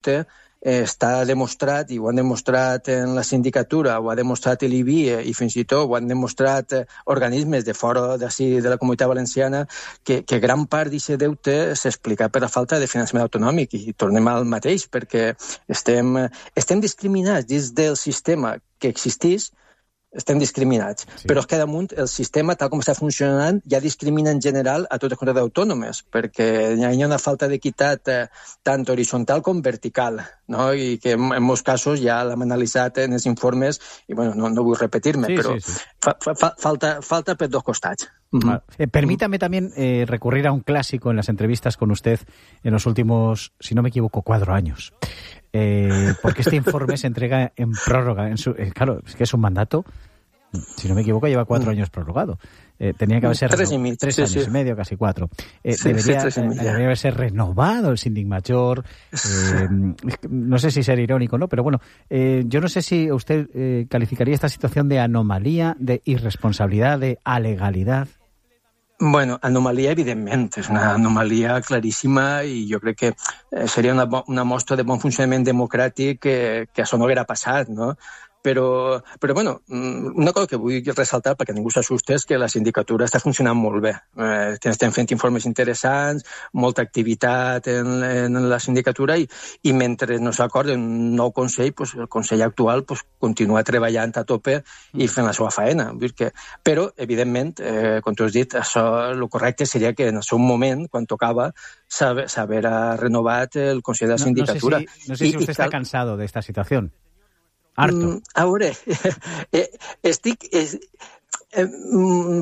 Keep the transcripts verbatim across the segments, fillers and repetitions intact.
deute està demostrat, i ho han demostrat en la sindicatura, ho ha demostrat l'I B I E i fins i tot ho han demostrat organismes de fora d'ací de la Comunitat Valenciana, que, que gran part d'aquest deute s'explica per la falta de finançament autonòmic, i tornem al mateix, perquè estem, estem discriminats dins del sistema que existís, estem discriminats, sí. Però és que damunt el sistema, tal com està funcionant, ja discrimina en general a totes les comunitats autònomes, perquè hi ha una falta d'equitat eh, tant horitzontal com vertical, no? I que en, en molts casos ja l'hem analitzat en els informes, i bueno, no, no vull repetir-me, sí, però sí, sí. Fa, fa, falta, falta per dos costats. Uh-huh. Eh, permítame también eh, recurrir a un clásico en las entrevistas con usted en los últimos, si no me equivoco, cuatro años. Eh, porque este informe se entrega en prórroga. En su, eh, claro, es que es un mandato, si no me equivoco, lleva cuatro años prolongado. Eh, tenía que haberse tres, reno- y tres sí, años sí. y medio, casi cuatro. Eh, sí, debería, sí, eh, debería haberse renovado el síndic mayor. Eh, no sé si ser irónico, ¿no? Pero bueno, eh, yo no sé si usted eh, calificaría esta situación de anomalía, de irresponsabilidad, de alegalidad. Bueno, anomalia, evidentment, és una anomalia claríssima, i jo crec que seria una, una mostra de bon funcionament democràtic que, que això no haguera passat, no? Però, però, bueno, una cosa que vull ressaltar, perquè ningú s'assusta, és que la sindicatura està funcionant molt bé. Eh, estem fent informes interessants, molta activitat en, en la sindicatura, i, i mentre no s'acorda un nou consell, pues, el consell actual pues, continua treballant a tope i fent la seva faena. Vull dir que, però, evidentment, eh, com tu has dit, això, el correcte seria que en el seu moment, quan tocava, s'haver renovat el consell de la sindicatura. No, no sé si, no sé si usted I, està cal... cansado de esta situació. Harto. A veure, eh, estic... Eh, eh,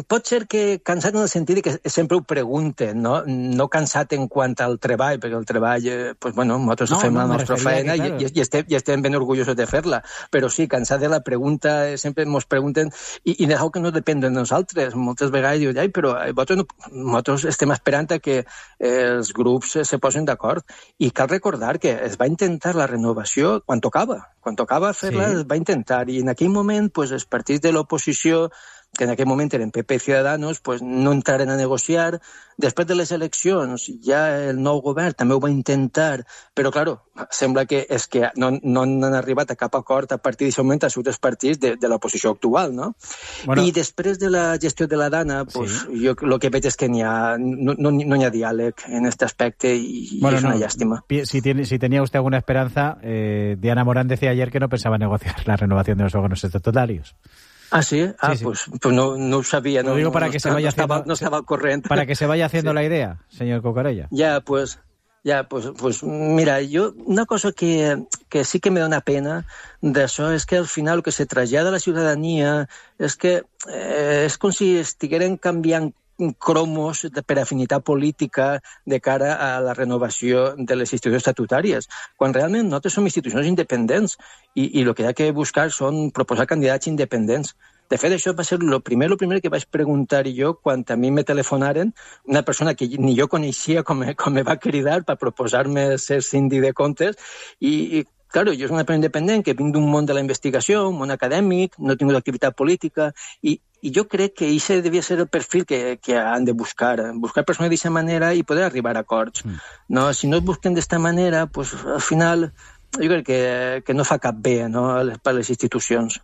pot ser que cansat en el sentit que sempre ho pregunten, no? No cansat en quant al treball, perquè el treball, eh, pues bueno, nosaltres no, fem no, la nostra feina que, claro. i, i, estem, i estem ben orgullosos de fer-la, però sí, cansat de la pregunta, eh, sempre ens pregunten, i, i és que no depèn de nosaltres. Moltes vegades diuen, ai, però nosaltres, no, nosaltres estem esperant a que eh, els grups se posin d'acord, i cal recordar que es va intentar la renovació quan tocava, quan tocava fer-la sí. Es va intentar, i en aquell moment pues, els partits de l'oposició, que en aquell moment eren P P i Ciudadanos, pues, no entraren a negociar. Després de les eleccions, ja el nou govern també ho va intentar, però, claro, sembla que és que no, no han arribat a cap acord a partir d'aquest moment els altres partits de, de l'oposició actual, no? Bueno, I després de la gestió de la Dana, pues, sí. jo el que veig és que n'hi ha, no, no, no hi ha diàleg en aquest aspecte, i, bueno, i és una no, llàstima. Si, tiene, si tenía usted alguna esperanza, eh, Diana Morán decía ayer que no pensaba negociar la renovación de los órganos estatutarios. Ah, sí? Ah, sí, sí. Pues, pues no, no ho sabia. Lo digo no, para no que estaba, se vaya no estaba, haciendo, no estaba al corriente. Para que se vaya haciendo sí. la idea, señor Cucarella. Ya, pues... Ya, pues, pues mira, yo una cosa que, que sí que me da una pena d'això és que al final el que se trasllada a la ciutadania és que eh, és com si estigueren canviant cromos de, per afinitat política de cara a la renovació de les institucions estatutàries, quan realment nosaltres som institucions independents i, i el que hi ha que buscar són proposar candidats independents. De fet, això va ser el primer, lo primer que vaig preguntar jo quan a mi me telefonaren, una persona que ni jo coneixia com, com me va cridar per proposar-me ser síndic de comptes, i, i claro, jo soc una persona independent que vinc d'un món de la investigació, un món acadèmic, no he tingut activitat política, i, i jo crec que això devia ser el perfil que, que han de buscar, buscar persones d'aquesta manera i poder arribar a acords. Mm. No? Si no es busquen d'esta manera, pues, al final jo crec que, que no fa cap bé, no? Per a les institucions.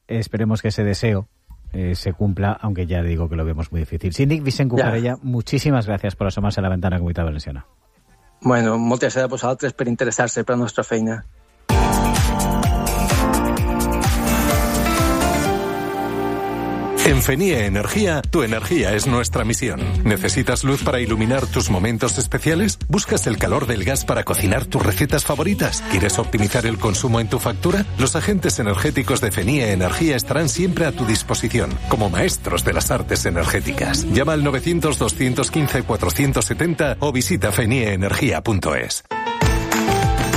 Esperemos que ese deseo eh, se cumpla, aunque ya digo que lo vemos muy difícil. Síndic Vicent Cucarella, muchísimas gracias por asomarse a la ventana Comunitat Valenciana. Bueno, moltes gràcies a vosaltres per interessar-se per la nostra feina. En Fenie Energía, tu energía es nuestra misión. ¿Necesitas luz para iluminar tus momentos especiales? ¿Buscas el calor del gas para cocinar tus recetas favoritas? ¿Quieres optimizar el consumo en tu factura? Los agentes energéticos de Fenie Energía estarán siempre a tu disposición, como maestros de las artes energéticas. Llama al novecientos, doscientos quince, cuatrocientos setenta o visita fenie energía punto es.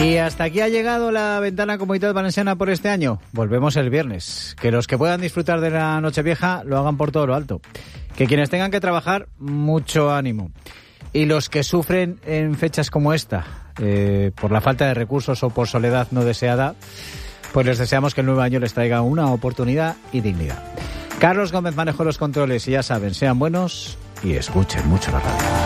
Y hasta aquí ha llegado la ventana Comunitat Valenciana por este año. Volvemos el viernes. Que los que puedan disfrutar de la Nochevieja lo hagan por todo lo alto. Que quienes tengan que trabajar, mucho ánimo. Y los que sufren en fechas como esta, eh, por la falta de recursos o por soledad no deseada, pues les deseamos que el nuevo año les traiga una oportunidad y dignidad. Carlos Gómez manejó los controles y ya saben, sean buenos y escuchen mucho la radio.